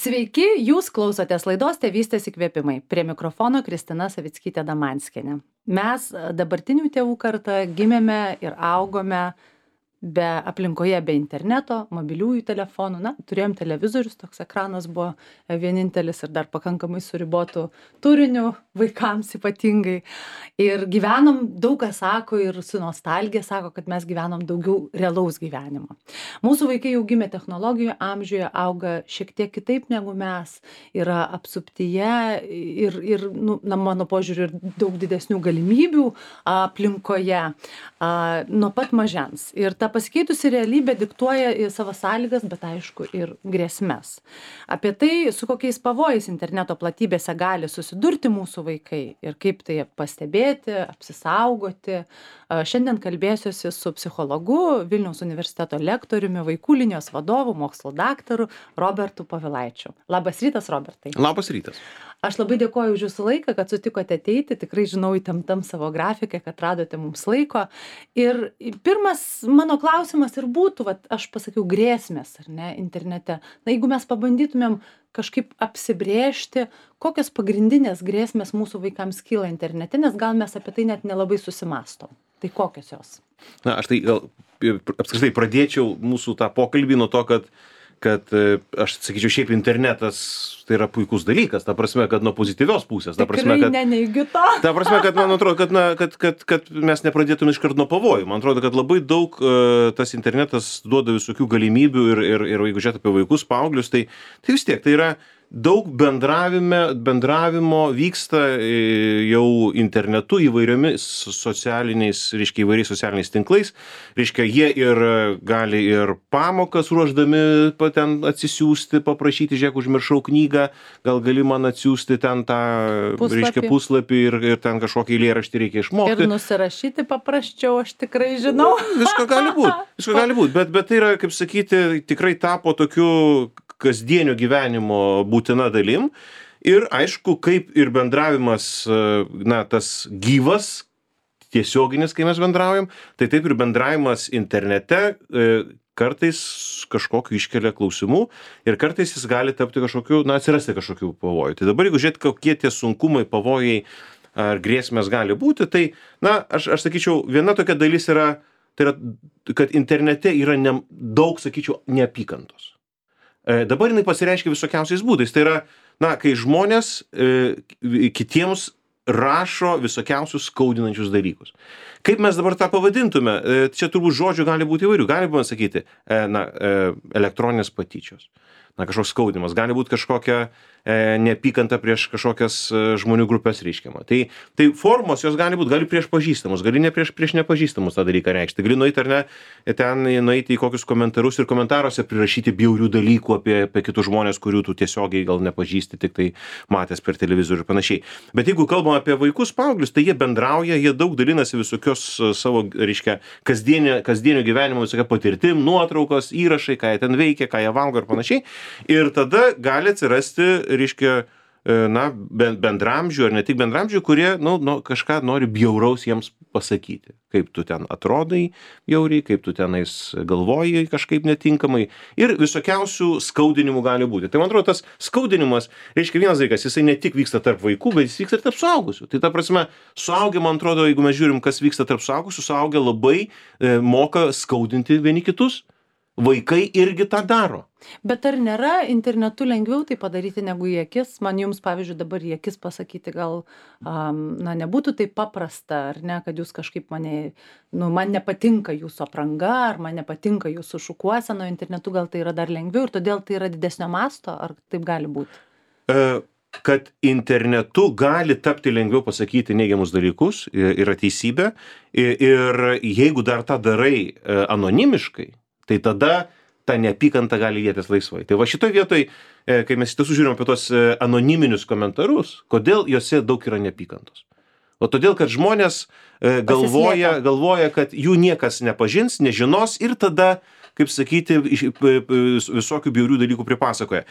Sveiki, jūs klausotės laidos Tėvystės įkvėpimai. Prie mikrofono Kristina Savickytė-Damanskienė. Mes, dabartinių tėvų karta, gimėme ir augome be aplinkoje, be interneto, mobiliųjų telefonų. Na, turėjom televizorius, toks ekranas buvo vienintelis ir dar pakankamai suribotų turinių vaikams ypatingai. Ir gyvenom, daug kas sako ir su nostalgija sako, kad mes gyvenom daugiau realaus gyvenimo. Mūsų vaikai jau gimė technologijų amžiuje, auga šiek tiek kitaip negu mes, yra apsuptyje ir mano požiūriu, ir daug didesnių galimybių aplinkoje nuo pat mažens. Ir ta pasikeitusi realybė diktuoja savo sąlygas, bet aišku ir grėsmes. Apie tai, su kokiais pavojais interneto platybėse gali susidurti mūsų vaikai ir kaip tai pastebėti, apsisaugoti. Šiandien kalbėsiuosi su psichologu, Vilniaus universiteto lektoriumi, vaikų linijos vadovu, mokslo daktaru Robertu Povilaičiu. Labas rytas, Robertai. Labas rytas. Aš labai dėkoju už jūsų laiką, kad sutikote ateiti. Tikrai žinau įtemptam savo grafiką, kad radote mums laiko. Ir pirmas mano klausimas ir būtų, aš pasakiau, grėsmės, ar ne, internete. Na, jeigu mes pabandytumėm kažkaip apsibrėžti, kokios pagrindinės grėsmės mūsų vaikams kyla internete, nes gal mes apie tai net nelabai susimąstom. Tai kokios jos? Na, aš tai gal apskritai pradėčiau mūsų tą pokalbį nuo to, kad aš sakyčiau, šiaip internetas tai yra puikus dalykas, ta prasme, kad nuo pozityvios pusės. Tikrai neneigiu to. Ta prasme, kad man atrodo, kad mes nepradėtume iškart nuo pavojų. Man atrodo, kad labai daug tas internetas duoda visokių galimybių ir jeigu žiūrėt apie vaikus, paauglius, tai vis tiek tai yra daug bendravimo vyksta jau internetu įvairiomis socialiniais, reiškia įvairiais socialiniais tinklais. Reiškia, jie ir gali ir pamokas ruošdami ten atsisiųsti, paprašyti, žiūrėk, užmiršau knygą, gal gali man atsiųsti ten tą puslapį ir ten kažkokį eilėraštį reikia išmokti. Ir nusirašyti paprasčiau, aš tikrai žinau. Visko gali būt, bet tai yra, kaip sakyti, tikrai tapo tokiu kasdienio gyvenimo būtina dalim. Ir aišku, kaip ir bendravimas, tas gyvas, tiesioginis, kai mes bendraujam, tai taip ir bendravimas internete kartais kažkokiu iškelia klausimų ir kartais jis gali tapti kažkokiu, atsirasti kažkokių pavojų. Tai dabar, jeigu žiūrėt, kokie tie sunkumai, pavojai ar grėsmės gali būti, tai, aš sakyčiau, viena tokia dalis yra, tai yra, kad internete yra daug, sakyčiau, neapykantos. Dabar jinai pasireiškia visokiausiais būdais. Tai yra, kai žmonės kitiems rašo visokiausius skaudinančius dalykus. Kaip mes dabar tą pavadintume? Čia turbūt žodžių gali būti įvairių. Galima sakyti, elektroninės patyčios. Kažkoks skaudimas. Gali būti kažkokia neapykanta prieš kažkokias žmonių grupės reiškiama. Tai formos jos gali būti, gali prieš pažįstamus, gali ne prieš nepažįstamus tą dalyką reikšti. Gali nueiti ar ne, ten nueiti į kokius komentarus ir komentaruose prirašyti bjaurių dalykų apie kitus žmonės, kurių tu tiesiogiai gal nepažįsti, tik tai matęs per televizorių ir panašiai. Bet jeigu kalbam apie vaikus, paauglius, tai jie bendrauja, jie daug dalinasi visokios savo, reiškia, kasdienio gyvenimo visokia patirtim, nuotraukos, įrašai, ką jie ten veikia, ką jie valgo ir panašiai. Ir tada gali atsirasti, reiškia, bendramžių ar ne tik bendramžių, kurie kažką nori bjauraus jiems pasakyti. Kaip tu ten atrodai bjauriai, kaip tu tenais galvoji kažkaip netinkamai. Ir visokiausių skaudinimų gali būti. Tai man atrodo, tas skaudinimas, reiškia, vienas dalykas, jisai ne tik vyksta tarp vaikų, bet jis vyksta ir tarp suaugusių. Tai ta prasme, suaugę, man atrodo, jeigu mes žiūrim, kas vyksta tarp suaugusių, suaugę labai moka skaudinti vieni kitus. Vaikai irgi tą daro. Bet ar nėra internetu lengviau tai padaryti negu į akis? Man jums, pavyzdžiui, dabar į akis pasakyti gal, nebūtų taip paprasta, ar ne, kad jūs kažkaip man nepatinka jūsų apranga, ar man nepatinka jūsų šukuosena, internetu gal tai yra dar lengviau ir todėl tai yra didesnio masto, ar taip gali būti? Kad internetu gali tapti lengviau pasakyti neigiamus dalykus, yra teisybė. Ir jeigu dar tą darai anonimiškai, tai tada ta neapykanta gali lietis laisvai. Tai va šitoj vietoj, kai mes iš tiesų žiūrim apie tos anoniminius komentarus, kodėl juose daug yra neapykantos? O todėl, kad žmonės galvoja, kad jų niekas nepažins, nežinos ir tada, kaip sakyti, visokių bjaurių dalykų pripasakoja.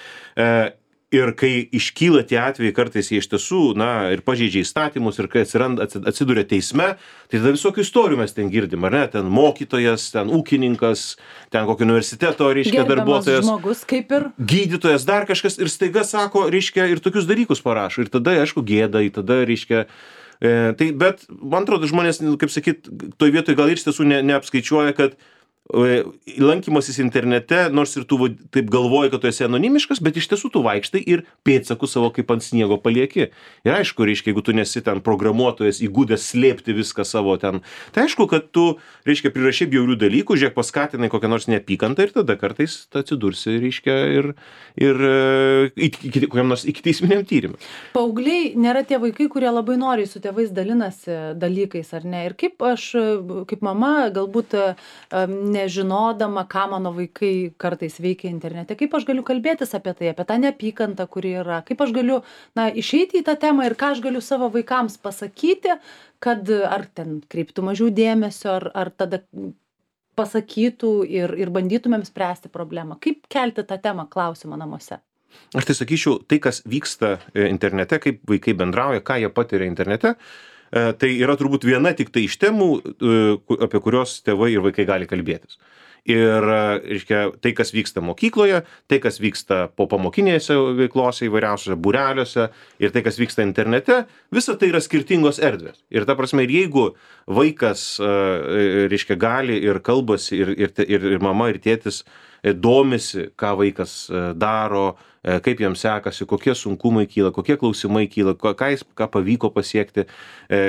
Ir kai iškyla tie atvejai, kartais jie iš tiesų, ir pažeidžia įstatymus, ir kai atsiduria teisme, tai tada visokių istorijų mes ten girdim, ar ne? Ten mokytojas, ten ūkininkas, ten kokio universiteto, reiškia, darbuotojas. Žmogus, kaip ir. Gydytojas, dar kažkas, ir staiga sako, reiškia, ir tokius dalykus parašo. Ir tada, aišku, gėda, tada, reiškia, bet, man atrodo, žmonės, kaip sakyt, toj vietoj gal ir iš tiesų neapskaičiuoja, kad lankymasis internete, nors ir tu taip galvoji, kad tu esi anonimiškas, bet iš tiesų tu vaikštai ir pėdsakus savo kaip ant sniego palieki. Ir aišku, reiškia, jeigu tu nesi ten programuotojas, įgudęs slėpti viską savo ten, tai aišku, kad tu, reiškia, prirašai bjaurių dalykų, žiūrėk, paskatinai kokią nors neapykantą ir tada kartais atsidursi, reiškia, ir kokiam nors ikiteisminiam tyrimui. Paaugliai nėra tie vaikai, kurie labai noriai su tėvais dalinasi dalykais, ar ne? Ir kaip aš, kaip mama, galbūt nežinodama, ką mano vaikai kartais veikia internete, kaip aš galiu kalbėtis apie tai, apie tą neapykantą, kuri yra, kaip aš galiu, išeiti į tą temą ir ką aš galiu savo vaikams pasakyti, kad ar ten kreiptų mažiau dėmesio, ar tada pasakytų ir bandytumėm spręsti problemą. Kaip kelti tą temą, klausimą namuose? Aš tai sakyčiau, tai, kas vyksta internete, kaip vaikai bendrauja, ką jie patiria internete, tai yra turbūt viena tik tai iš temų, apie kurios tėvai ir vaikai gali kalbėtis. Ir, reiškia, tai, kas vyksta mokykloje, tai, kas vyksta po pamokinėse veiklose įvairiausiose būreliuose ir tai, kas vyksta internete, visa tai yra skirtingos erdvės. Ir ta prasme, ir jeigu vaikas, reiškia, gali ir kalbasi, ir mama, ir tėtis domisi, ką vaikas daro, kaip jam sekasi, kokie sunkumai kyla, kokie klausimai kyla, ką pavyko pasiekti,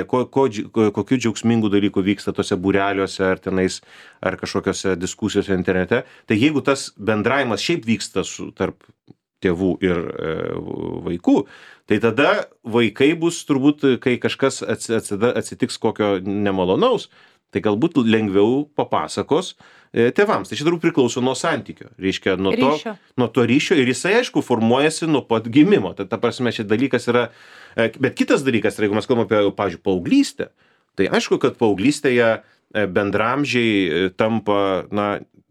kokių džiaugsmingų dalykų vyksta tose būreliuose ar tenais, ar kažkokiose diskusijose internete. Tai jeigu tas bendravimas šiaip vyksta tarp tėvų ir vaikų, tai tada vaikai bus turbūt, kai kažkas atsitiks kokio nemalonaus, tai galbūt lengviau papasakos tėvams. Tai čia turbūt priklauso nuo santykio, reiškia, nuo to ryšio ir jisai, aišku, formuojasi nuo pat gimimo. Tai ta prasme, šis dalykas yra, bet kitas dalykas, jeigu mes kalbame apie, pavyzdžiui, paauglystę, tai aišku, kad paauglystėje bendramžiai tampa,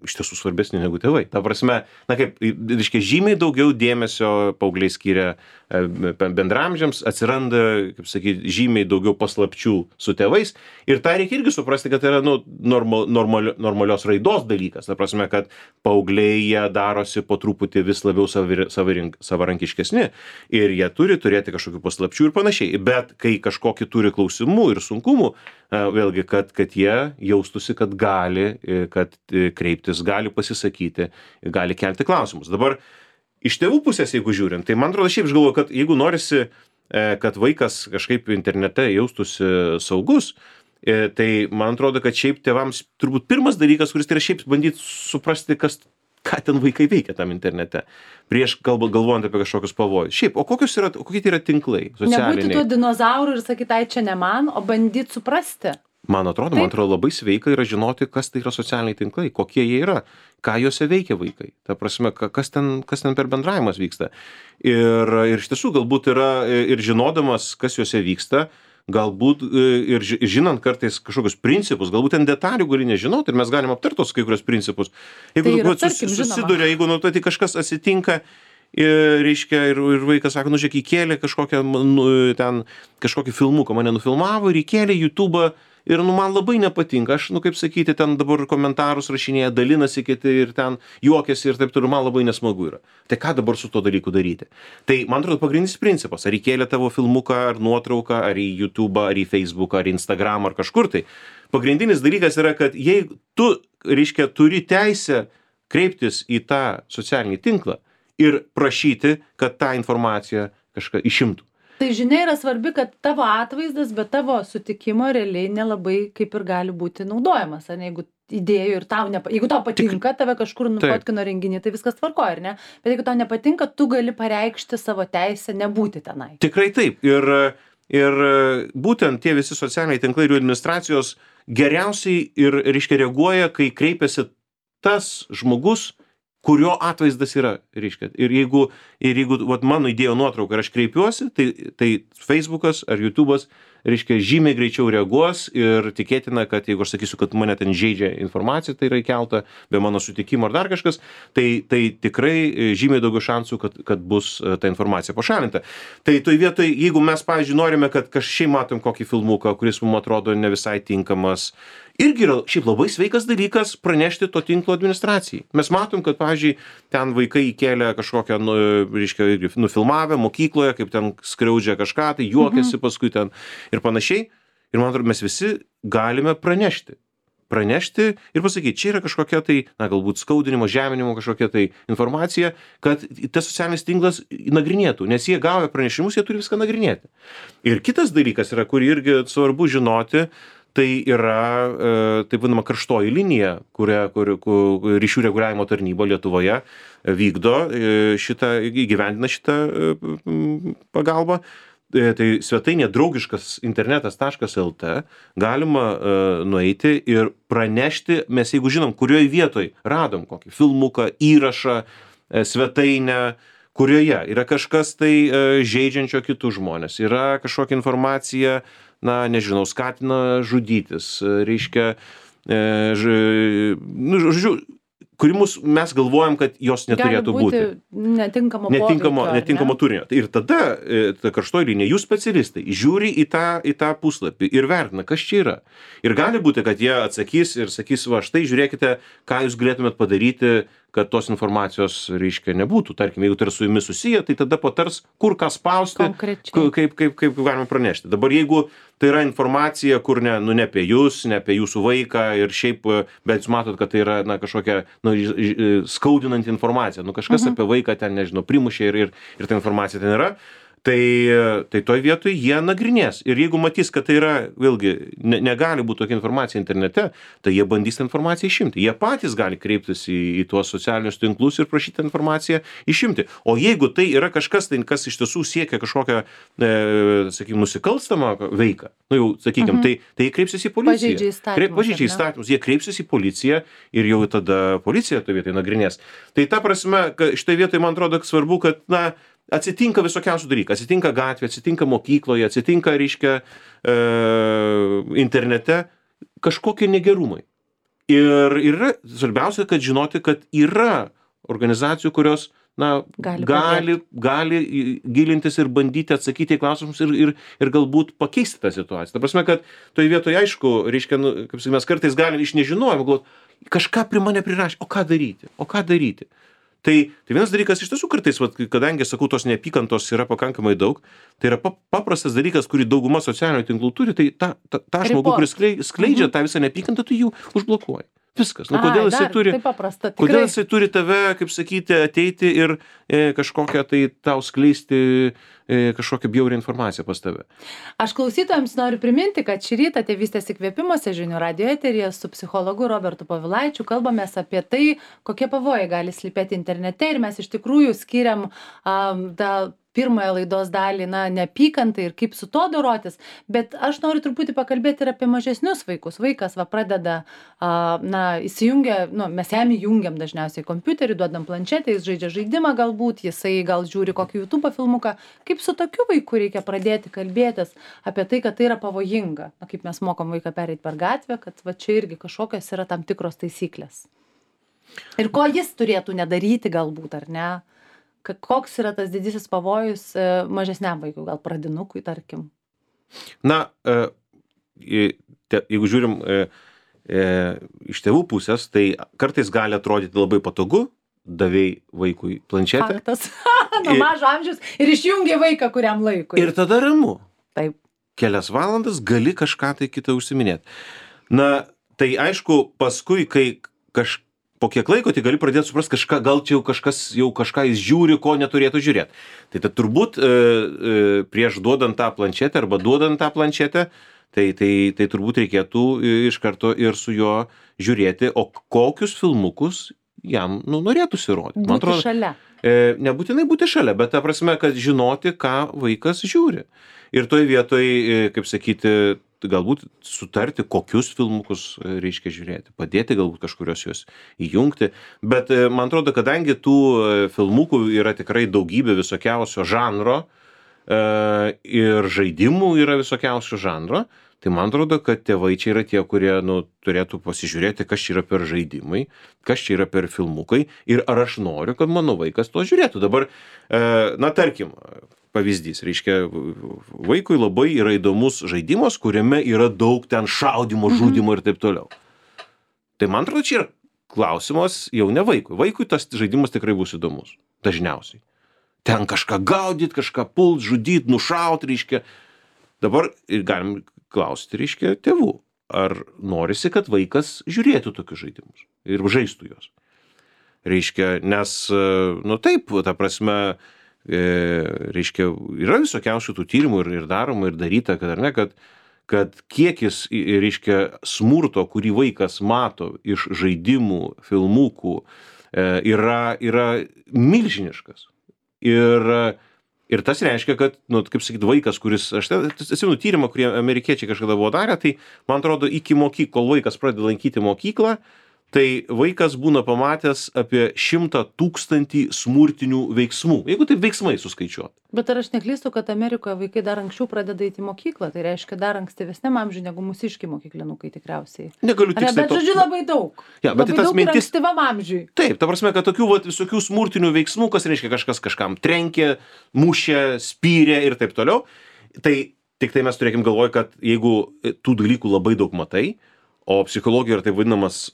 iš tiesų svarbesni negu tėvai. Ta prasme, kaip, reiškia, žymiai daugiau dėmesio paaugliai skiria bendramžiams, atsiranda, kaip sakyti, žymiai daugiau paslapčių su tėvais. Ir tą reikia irgi suprasti, kad tai yra normalios raidos dalykas. Ta prasme, kad paaugliai jie darosi po truputį vis labiau savarankiškesni ir jie turi turėti kažkokių paslapčių ir panašiai. Bet kai kažkokį turi klausimų ir sunkumų, vėlgi, kad jie jaustųsi, kad gali, kad kreiptis, gali pasisakyti, gali kelti klausimus. Dabar iš tėvų pusės, jeigu žiūrint, tai man atrodo, šiaip aš galvoju, kad jeigu norisi, kad vaikas kažkaip internete jaustųsi saugus, tai man atrodo, kad šiaip tėvams turbūt pirmas dalykas, kuris tai yra šiaip bandyti suprasti, ką ten vaikai veikia tam internete, prieš galvojant apie kažkokius pavojus. Šiaip, o kokie tai yra tinklai socialiniai? Nebūti tuo dinozauru ir sakyti, tai čia ne man, o bandyti suprasti. Man atrodo labai sveika yra žinoti, kas tai yra socialiniai tinklai, kokie jie yra, ką juose veikia vaikai. Ta prasme, kas ten per bendravimas vyksta. Ir iš tiesų galbūt yra ir žinodamas, kas juose vyksta, galbūt ir žinant kartais kažkokius principus, galbūt ten detalių gali nežinoti ir mes galim aptarti tos kai kurios principus. Jeigu susiduria, jeigu tai kažkas atsitinka, reiškia, ir vaikas sako, žiūrėk, įkėlė kažkokį filmuką, mane nufilmavo ir įkėlė YouTube'ą ir man labai nepatinka, aš, kaip sakyti, ten dabar komentarus rašinėja, dalinasi kiti ir ten juokiasi ir taip toliau, man labai nesmagu yra. Tai ką dabar su to dalyku daryti? Tai, man atrodo, pagrindinis principas, ar įkėlė tavo filmuką, ar nuotrauką, ar į YouTube'ą, ar į Facebook'ą, ar į Instagram'ą, ar kažkur tai. Pagrindinis dalykas yra, kad jei tu, reiškia, turi teisę kreiptis į tą socialinį tinklą ir prašyti, kad tą informaciją kažką išimtų. Tai žinia yra svarbi, kad tavo atvaizdas, bet tavo sutikimo realiai nelabai kaip ir gali būti naudojamas. Ar ne? Jeigu idėjų ir jeigu tau patinka, tave kažkur nufotkino renginį, tai viskas tvarkoja, ar ne? Bet jeigu tau nepatinka, tu gali pareikšti savo teisę nebūti tenai. Tikrai taip. Ir būtent tie visi socialiniai tinklai ir jų administracijos geriausiai ir, reiškia, reaguoja, kai kreipiasi tas žmogus, kurio atvaizdas yra, reiškia. Ir jeigu mano įdėjo nuotrauką ir aš kreipiuosi, tai Facebookas ar YouTube'as reiškia, žymiai greičiau reaguos ir tikėtina, kad jeigu aš sakysiu, kad mane ten žaidžia informacija, tai yra įkelta be mano sutikimo ar dar kažkas, tai tikrai žymiai daugiau šansų, kad bus ta informacija pašalinta. Tai toj vietoj, jeigu mes, pavyzdžiui, norime, kad kažkaip matom kokį filmuką, kuris mums atrodo ne visai tinkamas, irgi yra šiaip labai sveikas dalykas pranešti to tinklo administracijai. Mes matom, kad, pavyzdžiui, ten vaikai įkėlė kažkokią, reiškia, nufilmavę mokykloje, kaip ten skriaudžia kažką, tai juokiasi paskui ten ir panašiai. Ir man atrodo, mes visi galime pranešti ir pasakyti, čia yra kažkokia tai, na, galbūt skaudinimo, žeminimo kažkokia tai informacija, kad tas socialinis tinklas nagrinėtų, nes jie gavę pranešimus, jie turi viską nagrinėti. Ir kitas dalykas yra, kurį irgi svarbu žinoti, tai yra, taip vadinama, karštoji linija, kur ryšių reguliavimo tarnyba Lietuvoje vykdo įgyvendina šitą pagalbą. Tai svetainė draugiškas internetas.lt galima nueiti ir pranešti, mes jeigu žinom, kurioje vietoj radom kokį filmuką, įrašą, svetainę, kurioje yra kažkas tai žeidžiančio kitus žmonės, yra kažkokia informacija, na, nežinau, skatina žudytis, reiškia, žodžiu, kuri mes galvojam, kad jos neturėtų būti. Netinkamo turinio. Ir tada ta karštoji linija, jūs specialistai, žiūri į tą puslapį ir vertina, kas čia yra. Ir gali būti, kad jie atsakys ir sakys, va, štai žiūrėkite, ką jūs galėtumėt padaryti, kad tos informacijos, reiškia, nebūtų. Tarkim, jeigu tai yra su jumis susiję, tai tada patars, kur ką spausti, kaip galima pranešti. Dabar jeigu tai yra informacija, kur ne apie jūs, ne apie jūsų vaiką ir šiaip, bet jūs matot, kad tai yra, na, kažkokia, skaudinanti informacija, kažkas apie vaiką ten, nežinau, primušė ir ta informacija ten yra, tai toj vietoj jie nagrinės. Ir jeigu matys, kad tai yra, vėlgi, negali būti tokia informacija internete, tai jie bandys tą informaciją išimti. Jie patys gali kreiptis į tuos socialinius tinklus ir prašyti informaciją išimti. O jeigu tai yra kažkas, tai kas iš tiesų siekia kažkokią, sakykime, nusikalstamą veiką, jau, sakykime, tai jie kreipsis į policiją. Pažeidžia įstatymus, jie kreipsis į policiją ir jau tada policija toj vietoj nagrinės. Tai ta prasme, šitoj vietoj man atrodo svarbu, kad, na, atsitinka visokiausių dalykų. Atsitinka gatvė, atsitinka mokykloje, atsitinka, reiškia, internete kažkokie negerumai. Ir yra svarbiausia, kad žinoti, kad yra organizacijų, kurios, na, gali gilintis ir bandyti atsakyti į klausimus ir galbūt pakeisti tą situaciją. Ta prasme, kad toje vietoje, aišku, reiškia, kaip sakyti, mes kartais galim iš nežinojimo galvoti, kažką prie mane prirašė, o ką daryti? Tai vienas dalykas iš tiesų kartais, kadangi, sakau, tos neapykantos yra pakankamai daug, tai yra paprastas dalykas, kurį dauguma socialinių tinklų turi, tai tą žmogų, kuris skleidžia tą visą neapykantą, tu jų užblokuoji. Viskas. Kodėl jisai turi tave, kaip sakyti, ateiti ir kažkokią tai tau skleisti kažkokią bjaurią informaciją pas tave. Aš klausytojams noriu priminti, kad šį rytą Tėvystės įkvėpimuose žinių radijo eteryje su psichologu Robertu Povilaičiu kalbamės apie tai, kokie pavojai gali slypėti internete ir mes iš tikrųjų skiriam pirmąją laidos dalį, neapykantai ir kaip su to dorotis, bet aš noriu truputį pakalbėti ir apie mažesnius vaikus. Vaikas pradeda, įsijungia, mes jam įjungiam dažniausiai kompiuterį, duodam planšetę, jis žaidžia žaidimą galbūt, jisai gal žiūri kokį YouTube filmuką. Kaip su tokiu vaiku reikia pradėti kalbėtis apie tai, kad tai yra pavojinga? Kaip mes mokom vaiką pereiti per gatvę, kad čia irgi kažkokios yra tam tikros taisyklės. Ir ko jis turėtų nedaryti galbūt, ar ne? Koks yra tas didysis pavojus mažesniam vaikui, gal pradinukui, tarkim? Na, jeigu žiūrim iš tėvų pusės, tai kartais gali atrodyti labai patogu, davei vaikui planšetę. Faktas. Nuo mažo amžiaus ir išjungi vaiką kuriam laikui. Ir tada ramu. Taip. Kelias valandas gali kažką tai kitą užsiminėti. Na, tai aišku, paskui, kai po kiek laiko, tai gali pradėti suprasti kažką, gal čia jau kažką jis žiūri, ko neturėtų žiūrėti. Tai turbūt prieš duodant tą planšetę arba duodant tą planšetę, tai turbūt reikėtų iš karto ir su juo žiūrėti, o kokius filmukus jam norėtųsi rodyti. Būti šalia. Nebūtinai būti šalia, bet ta prasme, kad žinoti, ką vaikas žiūri. Ir toj vietoj, kaip sakyti, galbūt sutarti, kokius filmukus reiškia žiūrėti, padėti galbūt kažkurios juos įjungti, bet man atrodo, kadangi tų filmukų yra tikrai daugybė visokiausio žanro, ir žaidimų yra visokiausių žanro, tai man atrodo, kad tėvai čia yra tie, kurie turėtų pasižiūrėti, kas čia yra per žaidimai, kas čia yra per filmukai ir ar aš noriu, kad mano vaikas to žiūrėtų. Dabar, tarkim, pavyzdys, reiškia, vaikui labai yra įdomus žaidimas, kuriame yra daug ten šaudimo, žudimo ir taip toliau. Tai man atrodo, čia yra klausimas jau ne vaikui. Vaikui tas žaidimas tikrai bus įdomus, dažniausiai. Ten kažką gaudyti, kažką pult, žudyti, nušauti, reiškia. Dabar ir galim klausti, reiškia, tėvų, ar norisi, kad vaikas žiūrėtų tokius žaidimus ir žaistų juos. Reiškia, nes, taip, ta prasme, reiškia, yra visokiausių tų tyrimų ir daroma ir daryta, kad ar ne, kad kiekis, reiškia, smurto, kurį vaikas mato iš žaidimų, filmukų, yra milžiniškas. Ir tas reiškia, kad, kaip sakyt, vaikas, kuris, aš atsimenu tyrimą, kurį amerikiečiai kažkada buvo darę, tai, man atrodo, kol vaikas pradeda lankyti mokyklą, tai vaikas būna pamatęs apie 100 000 smurtinių veiksmų, jeigu taip veiksmai suskaičiuot. Bet ar aš neklystu, kad Amerikoje vaikai dar anksčiau pradeda eiti į mokyklą, tai reiškia dar ankstyvesniam amžiui negu mūsiški mokyklinukai tikriausiai. Negaliu tiksliai. Bet žodžiu labai daug. Ja, bet labai tas daug mintis. Ankstyvam amžiui. Taip, ta prasme, kad tokių visokių smurtinių veiksmų, kas reiškia kažkas kažkam trenkė, mušė, spyrė ir taip toliau. Tai tik tai mes turėkim galvoj, kad jeigu tų dalykų labai daug matai, o psichologija yra taip vadinamas,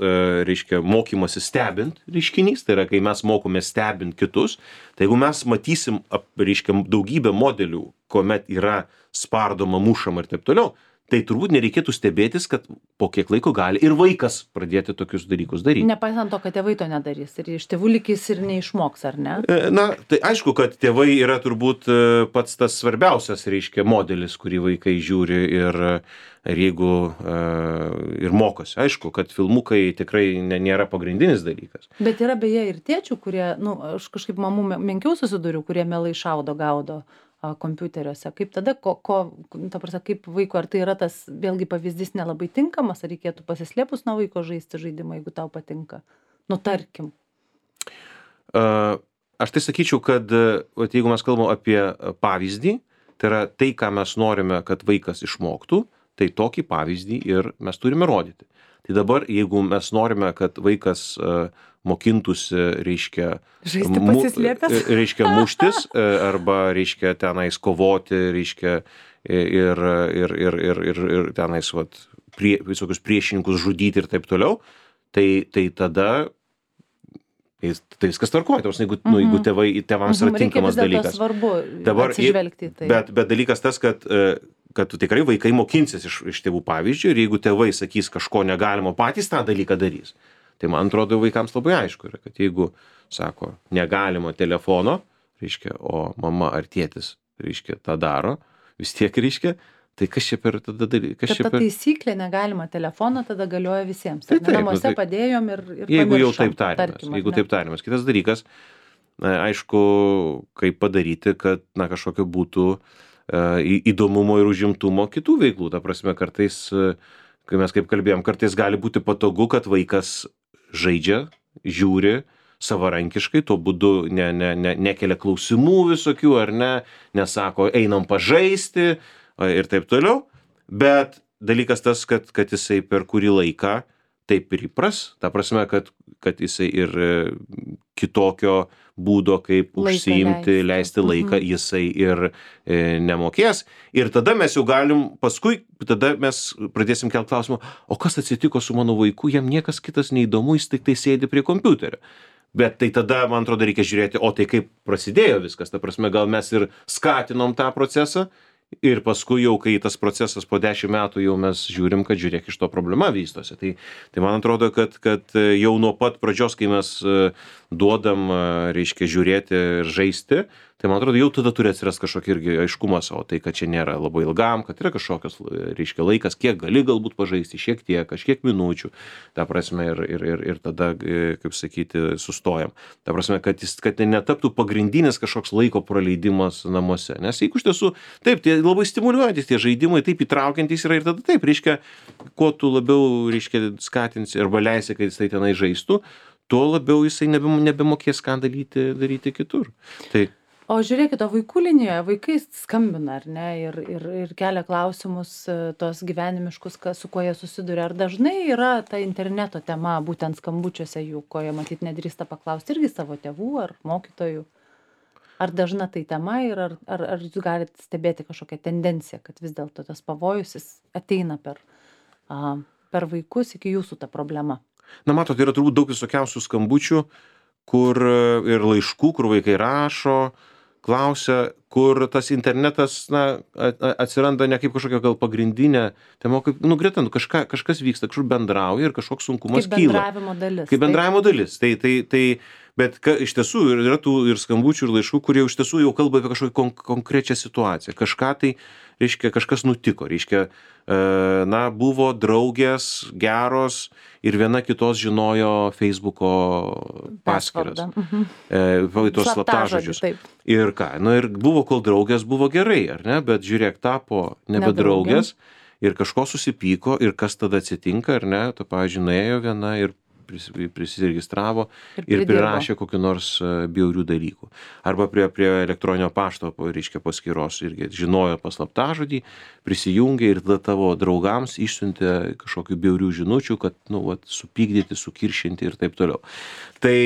reiškia, mokymasi stebint reiškinys, tai yra, kai mes mokome stebint kitus, tai jeigu mes matysim, reiškia, daugybę modelių, kuomet yra spardoma, mušama ir taip toliau, tai turbūt nereikėtų stebėtis, kad po kiek laiko gali ir vaikas pradėti tokius dalykus daryti. Nepaisant to, kad tėvai to nedarys ir iš tėvų likis ir neišmoks, ar ne? Tai aišku, kad tėvai yra turbūt pats tas svarbiausias, reiškia, modelis, kurį vaikai žiūri ir jeigu ir mokosi. Aišku, kad filmukai tikrai nėra pagrindinis dalykas. Bet yra beje ir tėčių, kurie, aš kažkaip mamų menkiau susiduriu, kurie mielai šaudo, gaudo kompiuteriuose. Kaip tada, ta prasme, kaip vaiko, ar tai yra tas, vėlgi pavyzdys nelabai tinkamas, ar reikėtų pasislėpus nuo vaiko žaisti žaidimą, jeigu tau patinka? Tarkim. Aš tai sakyčiau, kad jeigu mes kalbam apie pavyzdį, tai yra tai, ką mes norime, kad vaikas išmoktų, tai tokį pavyzdį ir mes turime rodyti. Tai dabar, jeigu mes norime, kad vaikas mokintųsi, reiškia, žaisti pasislėpęs, reiškia muštis, arba, reiškia, tenais kovoti, reiškia, ir tenais, visokius priešininkus žudyti ir taip toliau, tai tada tai viskas tvarkoja, jeigu tėvams yra tinkamas dalykas. Svarbu atsižvelgti į tai. Bet dalykas tas, kad tikrai vaikai mokinsis iš tėvų pavyzdžių ir jeigu tėvai sakys kažko negalimo, patys tą dalyką darys. Tai man atrodo vaikams labai aišku yra, kad jeigu sako negalima telefono, reiškia, o mama ar tėtis, reiškia, tą daro, vis tiek, reiškia, tai kas čia per tada dalykas? Ta taisyklė negalima telefono, tada galioja visiems. Namuose padėjom ir pamiršom. Jeigu jau taip tariamas. Kitas dalykas, aišku, kaip padaryti, kad kažkokio būtų įdomumo ir užimtumo kitų veiklų. Ta prasme, kartais, kai mes kaip kalbėjom, kartais gali būti patogu, kad vaikas žaidžia, žiūri savarankiškai, tuo būdu nekelia klausimų visokių, ar ne, nesako, einam pažaisti ir taip toliau, bet dalykas tas, kad jisai per kurį laiką taip ir įpras, ta prasme, kad jisai ir kitokio būdo, kaip užsiimti, leisti laiką, jisai ir nemokės. Ir tada mes jau galim, paskui tada mes pradėsim kelt klausimą, o kas atsitiko su mano vaiku, jam niekas kitas neįdomu, jis tik tai sėdi prie kompiuterio. Bet tai tada, man atrodo, reikia žiūrėti, o tai kaip prasidėjo viskas, ta prasme, gal mes ir skatinom tą procesą, ir paskui jau, kai tas procesas po 10 metų jau mes žiūrim, kad žiūrėk, iš to problema vystosi. Tai man atrodo, kad jau nuo pat pradžios, kai mes duodam, reiškia, žiūrėti ir žaisti, tai man atrodo, jau tada turi atsirasti kažkokia irgi aiškumas, o tai, kad čia nėra labai ilgam, kad yra kažkokios, reiškia, laikas, kiek gali galbūt pažaisti, šiek tiek, kažkiek minučių, ta prasme, ir tada, kaip sakyti, sustojam. Ta prasme, kad netaptų pagrindinis kažkoks laiko praleidimas namuose. Nes jeigu iš tiesų, taip, tie labai stimuliuojantis tie žaidimai, taip įtraukiantys yra ir tada taip, reiškia, kuo tu labiau, reiškia, skatinsi arba leisi, kad jisai tenai žaistų, tuo labiau jisai nebemokės ką daryti kitur. Tai O žiūrėkit, o vaikų linijoje vaikai skambina, ar ne, ir kelia klausimus tos gyvenimiškus, su kuo jie susiduria. Ar dažnai yra ta interneto tema būtent skambučiuose jų, ko jie matyt nedrįsta paklausti irgi savo tėvų ar mokytojų? Ar dažna tai tema ir ar jūs galite stebėti kažkokią tendenciją, kad vis dėlto tas pavojus jis ateina per vaikus iki jūsų ta problema? Na, matot, yra turbūt daug visokiausių skambučių, kur ir laiškų, kur vaikai rašo, klausia, kur tas internetas, na, atsiranda ne kaip kažkokia gal pagrindinė tema, kaip, greta, kažkas vyksta, kažkur bendrauja ir kažkoks sunkumas kyla. Kaip bendravimo dalis. Kaip bendravimo dalis. Bet iš tiesų yra tų ir skambučių, ir laiškų, kurie iš tiesų jau kalba apie kažkokią konkrečią situaciją. Kažką tai, reiškia, kažkas nutiko. Reiškia, buvo draugės geros ir viena kitos žinojo Facebooko paskyras. Tos slaptažodžius. Ir ką? Ir buvo, kol draugės buvo gerai, ar ne? Bet žiūrėk, tapo nebe draugės ir kažko susipyko ir kas tada atsitinka, ar ne? Tu, pavyzdžiui, nuėjo viena ir prisiregistravo ir prirašė kokiu nors bjaurių dalykų. Arba prie elektroninio pašto, reiškia, paskyros irgi žinojo paslaptažodį, prisijungė ir tada tavo draugams išsiuntė kažkokių bjaurių žinučių, kad, supykdyti, sukiršinti ir taip toliau. Tai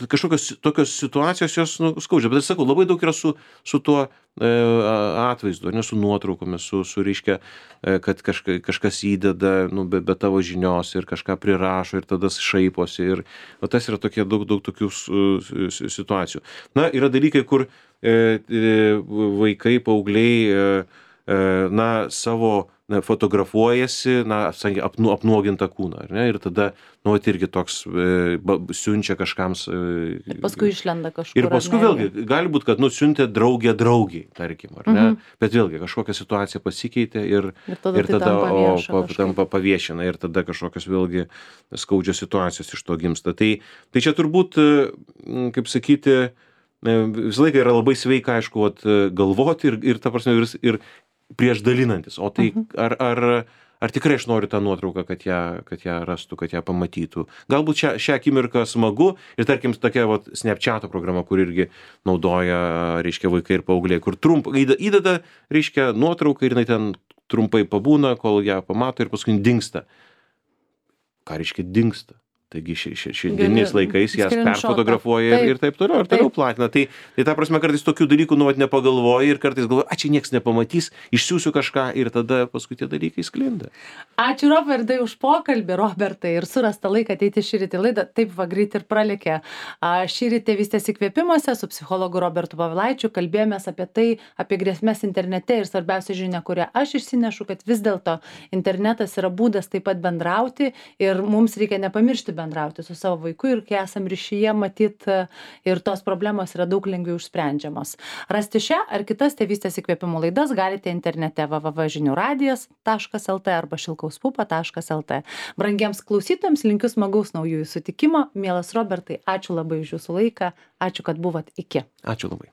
kažkokios tokios situacijos jos skaudžia, bet aš sakau, labai daug yra su tuo atvaizdu, ne su nuotraukomis, su reiškia, kad kažkas įdeda, be tavo žinios ir kažką prirašo ir tada šaiposi ir tas yra tokie daug tokių situacijų. Na, yra dalykai, kur vaikai, paaugliai, savo fotografuojasi, apnuogintą kūną, ar ne? Ir tada, irgi toks siunčia kažkams. Paskui išlenda kažkur. Ir paskui vėlgi, gali būti, kad siuntė draugė draugiai, tarkim, ar ne? Bet vėlgi, kažkokia situacija pasikeitė ir tada tampa paviešina ir tada kažkokios vėlgi skaudžios situacijos iš to gimsta. Tai čia turbūt, kaip sakyti, visą laiką yra labai sveika, aišku, galvoti ir ta prasme, ir prieš dalinantis. O tai ar tikrai aš noriu tą nuotrauką, kad ją rastų, kad ją pamatytų. Galbūt šią akimirką smagu ir tarkim tokia Snapchato programa, kur irgi naudoja, reiškia, vaikai ir paaugliai, kur įdeda, reiškia, nuotrauką ir jinai ten trumpai pabūna, kol ją pamato ir paskui dingsta. Ką reiškia dingsta? Taigi šiandieniais laikais jas perfotografuoja ir taip toliau platina. Tai ta prasme, kartais tokių dalykų nepagalvoji ir kartais galvoji, čia nieks nepamatys, išsiųsiu kažką ir tada paskui tie dalykai sklinda. Ačiū, Robertai, už pokalbį, Robertai, ir surastą laiką ateiti šįryt į laidą. Taip va greit ir pralėkė. Šįryt Tėvystės įkvėpimuose su psichologu Robertu Povilaičiu kalbėjomės apie tai, apie grėsmes internete ir svarbiausia žinia, kurią aš išsinešu, kad vis dėlto internetas yra būdas taip pat bendrauti ir mums reikia nepamiršti bendrauti su savo vaiku ir kai esam ryšyje, matyt, ir tos problemos yra daug lengviau išsprendžiamos. Rasti šią ar kitas Tėvystės įkvėpimų laidas galite internete www.žiniųradijas.lt arba šilkauspupa.lt. Brangiems klausytojams linkiu smagaus naujųjų sutikimo. Mielas Robertai, ačiū labai už jūsų laiką. Ačiū, kad buvot. Iki. Ačiū labai.